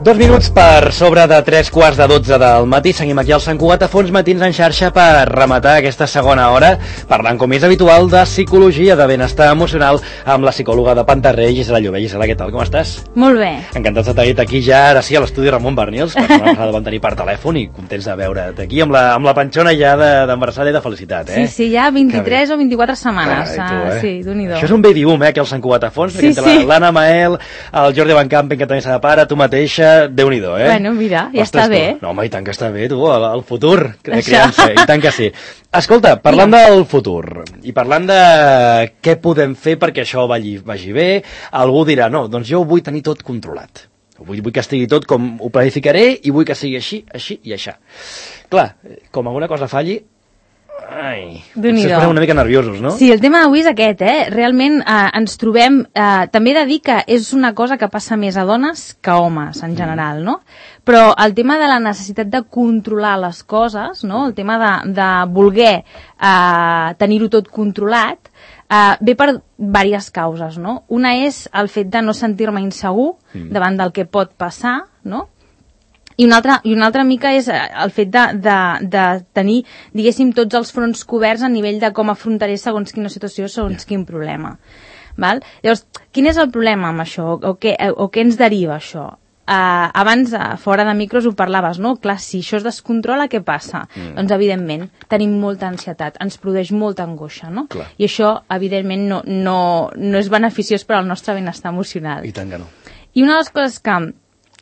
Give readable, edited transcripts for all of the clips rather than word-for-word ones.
2 minuts per sobre de 3:15 del matí. Seguim aquí al Sant Cugat a Fons Matins en xarxa per rematar aquesta segona hora parlant, com és habitual, de psicologia, de benestar emocional amb la psicòloga de Pantarré, Gisela Llobé. Gisela, què tal? Com estàs? Molt bé. Encantats de tenir-te aquí ja, ara sí, a l'estudi Ramon Barnils. La setmana passada vam tenir per telèfon i contents de veure't aquí amb la panxona ja d'embarassada i de felicitat, eh? Sí, ja 23 o 24 setmanes. Carai, tu, Sí, Déu-n'hi-do. Això és un baby boom, aquí al Sant Cugat a Fons, Sí, sí. L'Anna Mael, el Jordi Van Campen, que també s'ha de pare, tu mateixa, Déu-n'hi-do, eh? Bueno, mira, ja està bé. No, home, i tant que està bé, tu, el futur de criança, i tant que sí. Escolta, parlant del futur, i parlant de què podem fer perquè això vagi bé, algú dirà, no, doncs jo ho vull tenir tot controlat. Vull que estigui tot com ho planificaré i vull que sigui així, així i així. Clar, com alguna cosa falli, ai, potser es posem una mica nerviosos, no? Sí, el tema d'avui és aquest, Realment ens trobem... també he de dir que és una cosa que passa més a dones que a homes, en general, no? Però el tema de la necessitat de controlar les coses, no? El tema de voler tenir-ho tot controlat, ve per diverses causes, no? Una és el fet de no sentir-me insegur davant del que pot passar, no? I una altra mica és el fet de tenir, diguéssim, tots els fronts coberts a nivell de com afrontaré segons quina situació, segons quin problema. Val? Llavors, quin és el problema amb això? O què ens deriva això? Abans, fora de micros, ho parlaves, no? Clar, si això es descontrola, què passa? Doncs, evidentment, tenim molta ansietat, ens produeix molta angoixa, no? Clar. I això, evidentment, no és beneficiós per al nostre benestar emocional. I tant que no. I una de les coses que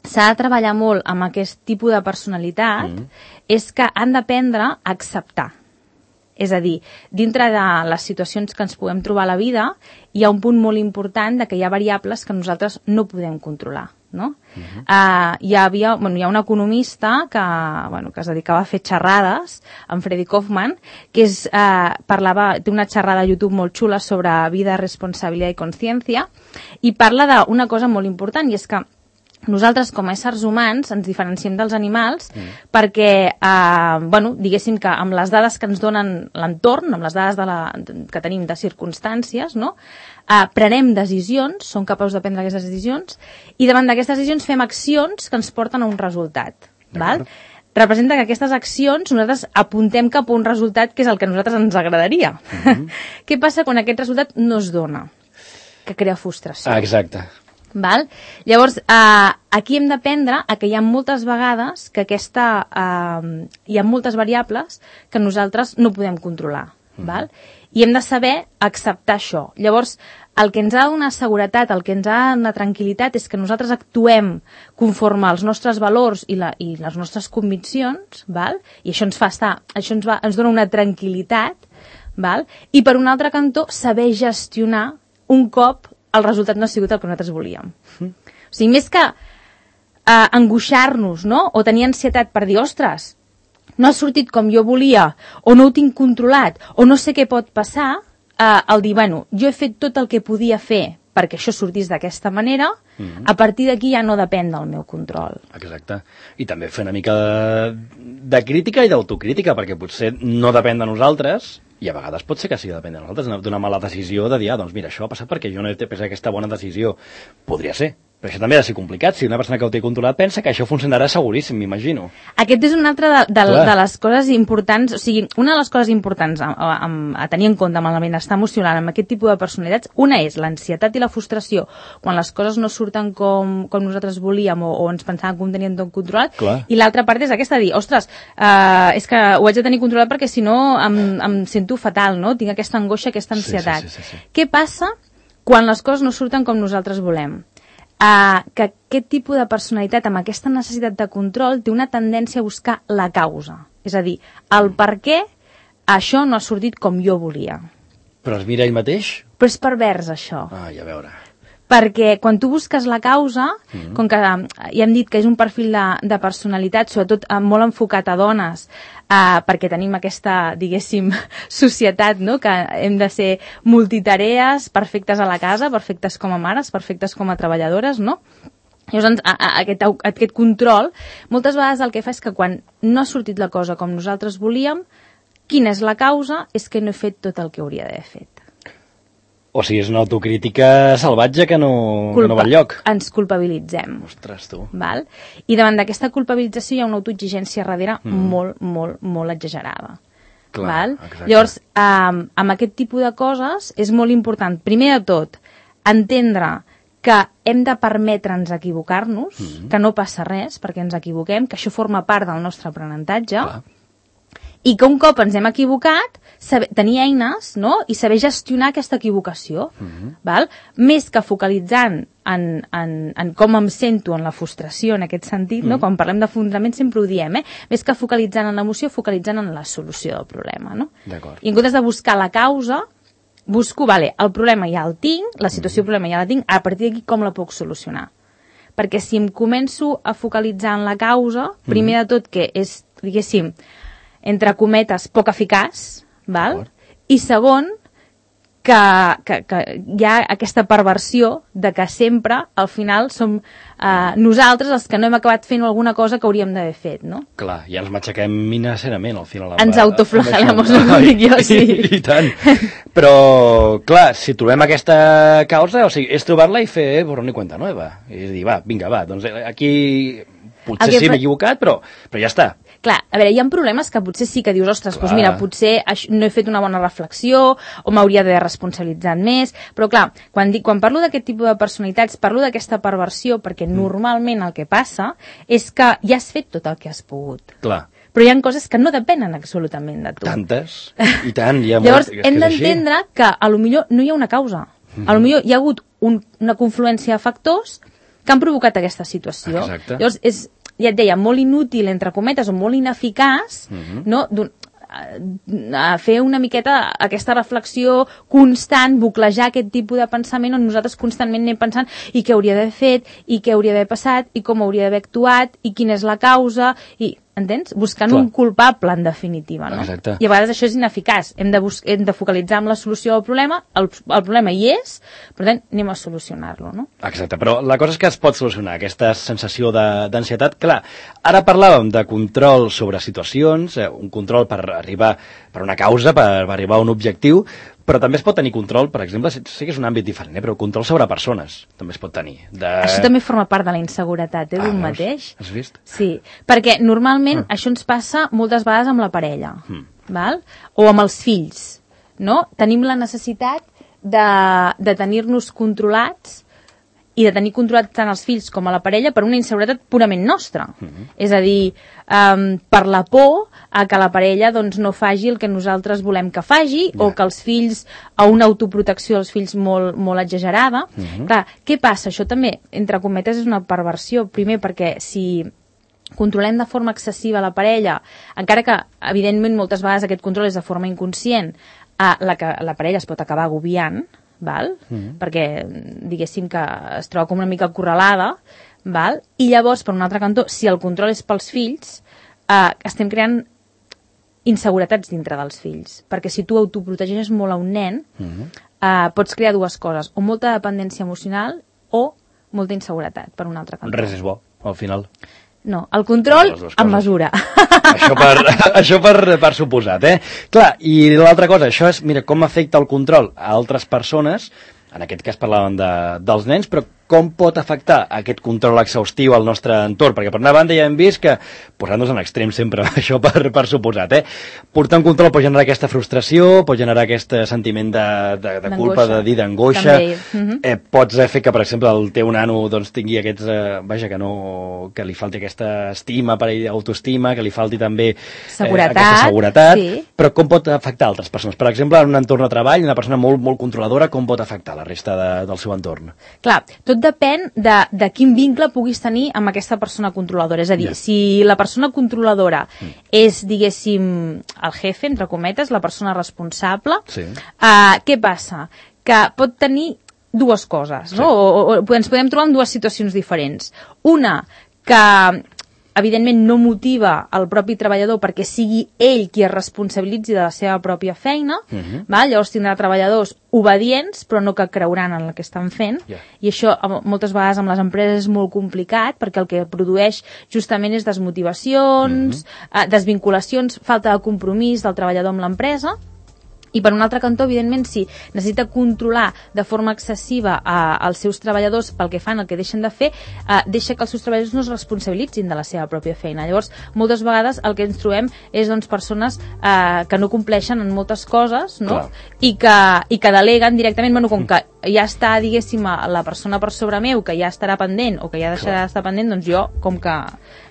s'ha de treballar molt amb aquest tipus de personalitat és que han d'aprendre a acceptar. És a dir, dintre de les situacions que ens podem trobar a la vida, hi ha un punt molt important de que hi ha variables que nosaltres no podem controlar, no? Hi ha un economista que es dedicava a fer xerrades, en Freddy Kaufman, que té una xerrada a YouTube molt xula sobre vida, responsabilitat i consciència, i parla d'una cosa molt important, i és que nosaltres, com a éssers humans, ens diferenciem dels animals perquè, diguéssim que amb les dades que ens donen l'entorn, amb les dades que tenim de circumstàncies, no? Prenem decisions, som capaços de prendre aquestes decisions, i davant d'aquestes decisions fem accions que ens porten a un resultat. Val? Representa que aquestes accions nosaltres apuntem cap a un resultat que és el que a nosaltres ens agradaria. Què passa quan aquest resultat no es dona? Que crea frustració. Exacte. Val? Llavors, aquí hem d'aprendre que hi ha moltes vegades que hi ha moltes variables que nosaltres no podem controlar. Val? I hem de saber acceptar això. Llavors, el que ens ha de donar seguretat, el que ens ha de donar tranquil·litat és que nosaltres actuem conforme als nostres valors i les nostres conviccions, val? I això ens dona una tranquil·litat, val? I per un altre cantó, saber gestionar un cop el resultat no ha sigut el que nosaltres volíem. O sigui, més que angoixar-nos, no? O tenir ansietat per dir, ostres, no ha sortit com jo volia, o no ho tinc controlat, o no sé què pot passar, el dir, jo he fet tot el que podia fer perquè això sortís d'aquesta manera, a partir d'aquí ja no depèn del meu control. Exacte. I també fer una mica de crítica i d'autocrítica, perquè potser no depèn de nosaltres, i a vegades pot ser que sí que depèn de nosaltres, d'una mala decisió de dir, doncs mira, això ha passat perquè jo no he pres aquesta bona decisió. Podria ser. Però això també ha de ser complicat. Si una persona que ho té controlat pensa que això funcionarà seguríssim, m'imagino. Aquest és una altra de les coses importants, o sigui, una de les coses importants a tenir en compte amb el benestar emocional, amb aquest tipus de personalitats, una és l'ansietat i la frustració quan les coses no surten com nosaltres volíem o ens pensàvem que ho tenien tot controlat. Clar. I l'altra part és aquesta, dir, ostres, és que ho haig de tenir controlat perquè si no em sento fatal, no? Tinc aquesta angoixa, aquesta ansietat. Sí. Què passa quan les coses no surten com nosaltres volem? Que aquest tipus de personalitat amb aquesta necessitat de control té una tendència a buscar la causa. És a dir, el per què això no ha sortit com jo volia. Però es mira ell mateix? Però és pervers, això. Ai, a veure. Perquè quan tu busques la causa, com que ja hem dit que és un perfil de personalitat, sobretot molt enfocat a dones, perquè tenim aquesta, diguéssim, societat, no? Que hem de ser multitarees, perfectes a la casa, perfectes com a mares, perfectes com a treballadores, no? Llavors, aquest control, moltes vegades el que fa és que quan no ha sortit la cosa com nosaltres volíem, quina és la causa? És que no he fet tot el que hauria d'haver fet. O sigui, és una autocrítica salvatge que no va enlloc. Ens culpabilitzem. Ostres, tu. Val? I davant d'aquesta culpabilització hi ha una autoexigència darrere molt, molt, molt exagerada. Clar, val? exacte. Llavors, amb aquest tipus de coses és molt important, primer de tot, entendre que hem de permetre'ns equivocar-nos, que no passa res perquè ens equivoquem, que això forma part del nostre aprenentatge, Clar. i que un cop ens hem equivocat, tenir eines, no?, i saber gestionar aquesta equivocació, val? Més que focalitzant en com em sento en la frustració, en aquest sentit, no? Quan parlem de fonament sempre ho diem, més que focalitzant en l'emoció, focalitzant en la solució del problema, no? D'acord. I en comptes de buscar la causa, busco, vale, el problema ja el tinc, la situació del problema ja la tinc, a partir d'aquí com la puc solucionar? Perquè si em començo a focalitzar en la causa, primer de tot que és, diguéssim, entre cometes, poc eficaç, val? I segon, que hi ha aquesta perversió de que sempre, al final, som nosaltres els que no hem acabat fent alguna cosa que hauríem d'haver fet, no? Clar, ja ens matxaquem minacerament, al final. Ens autoflagelamos, no dic jo, sí. I tant. Però, clar, si trobem aquesta causa, o sigui, és trobar-la i fer borrón i cuenta nueva. És dir, va, vinga, va, doncs aquí potser sí m'he equivocat, però ja està. Clar, a veure, hi ha problemes que potser sí que dius, ostres, doncs mira, potser no he fet una bona reflexió o m'hauria d'haver responsabilitzat més, però clar, quan parlo d'aquest tipus de personalitats, parlo d'aquesta perversió perquè normalment el que passa és que ja has fet tot el que has pogut. Clar. Però hi ha coses que no depenen absolutament de tu. Tantes, i tant. Llavors, hem d'entendre que a lo millor no hi ha una causa. A lo millor hi ha hagut una confluència de factors que han provocat aquesta situació. Exacte. Llavors, és, ja et deia, molt inútil, entre cometes, o molt ineficaç, no?, a fer una miqueta aquesta reflexió constant, buclejar aquest tipus de pensament on nosaltres constantment anem pensant i què hauria d'haver fet, i què hauria d'haver passat, i com hauria d'haver actuat, i quina és la causa, i entens? Buscant un culpable, en definitiva, no? Exacte. I a vegades això és ineficaç. Hem de focalitzar en la solució del problema, el problema hi és, per tant, anem a solucionar-lo, no? Exacte, però la cosa és que es pot solucionar, aquesta sensació d'ansietat. Clar, ara parlàvem de control sobre situacions, un control per arribar per una causa, per arribar a un objectiu, però també es pot tenir control, per exemple, sé que és un àmbit diferent, però control sobre persones també es pot tenir. Això també forma part de la inseguretat, d'un mateix. Has vist? Sí, perquè normalment això ens passa moltes vegades amb la parella, val? O amb els fills, no? Tenim la necessitat de tenir-nos controlats i de tenir controlats tant els fills com a la parella per una inseguretat purament nostra. És a dir, per la por a que la parella doncs, no faci el que nosaltres volem que faci, o que els fills, a una autoprotecció dels fills molt, molt exagerada. Clar, què passa? Això també, entre cometes, és una perversió. Primer, perquè si controlem de forma excessiva la parella, encara que, evidentment, moltes vegades aquest control és de forma inconscient, la parella es pot acabar agobiant, val? Perquè diguéssim que es troba com una mica acorralada, val? I llavors, per un altre cantó, si el control és pels fills, estem creant inseguretats dintre dels fills, perquè si tu autoprotegeixes molt a un nen, pots crear dues coses, o molta dependència emocional o molta inseguretat, per un altre cantó. Res és bo, al final. No, el control amb mesura. Això per suposat, Clar, i l'altra cosa, això és, mira, com afecta el control a altres persones, en aquest cas parlàvem dels nens, però com pot afectar aquest control exhaustiu al nostre entorn? Perquè per una banda ja hem vist que, posant-nos en extrem sempre, això per suposat, portar un control pot generar aquesta frustració, pot generar aquest sentiment de culpa, d'angoixa, pots fer que, per exemple, el teu nano doncs, tingui aquests, que li falti aquesta estima, autoestima, que li falti també aquesta seguretat, però com pot afectar altres persones? Per exemple, en un entorn de treball, una persona molt, molt controladora, com pot afectar la resta del seu entorn? Clar, tot depèn de quin vincle puguis tenir amb aquesta persona controladora. És a dir, si la persona controladora és, diguéssim, el jefe, entre cometes, la persona responsable, què passa? Que pot tenir dues coses, no? O ens podem trobar en dues situacions diferents. Una, que evidentment no motiva el propi treballador perquè sigui ell qui es responsabilitzi de la seva pròpia feina, llavors tindrà treballadors obedients però no que creuran en el que estan fent, i això moltes vegades amb les empreses és molt complicat perquè el que produeix justament és desmotivacions, desvinculacions, falta de compromís del treballador amb l'empresa. I per un altre cantó, evidentment, si necessita controlar de forma excessiva els seus treballadors pel que fan, el que deixen de fer, deixa que els seus treballadors no es responsabilitzin de la seva pròpia feina. Llavors, moltes vegades el que ens trobem és doncs, persones que no compleixen en moltes coses, no? I que deleguen directament, bueno, com que ja està, diguéssim, la persona per sobre meu, que ja estarà pendent o que ja deixarà d'estar pendent, doncs jo com que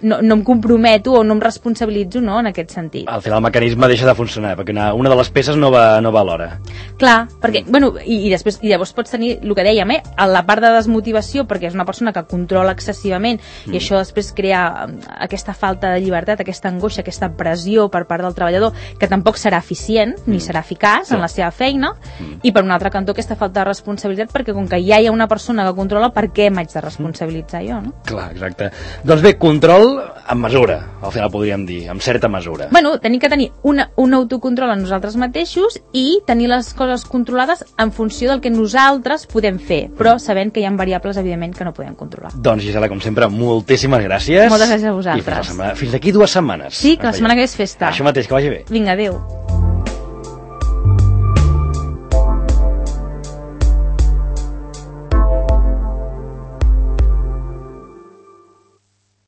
no em comprometo o no em responsabilitzo, no?, en aquest sentit. Al final el mecanisme deixa de funcionar, perquè una de les peces no va alhora. Clar, perquè, bueno, i llavors pots tenir el que dèiem, la part de desmotivació, perquè és una persona que controla excessivament i això després crea aquesta falta de llibertat, aquesta angoixa, aquesta pressió per part del treballador, que tampoc serà eficient ni serà eficaç en la seva feina, i per un altre cantó aquesta falta de responsabilitat, perquè com que ja hi ha una persona que controla, per què m'haig de responsabilitzar jo, no? Clar, exacte. Doncs bé, control amb mesura, al final podríem dir, amb certa mesura. Bueno, tenim que tenir un autocontrol a nosaltres mateixos i tenir les coses controlades en funció del que nosaltres podem fer, però sabent que hi ha variables, evidentment, que no podem controlar. Doncs, Gisela, com sempre, moltíssimes gràcies. Moltes gràcies a vosaltres. I fins d'aquí 2 setmanes. Sí, que la setmana que ve és festa. Això mateix, que vagi bé. Vinga, adéu.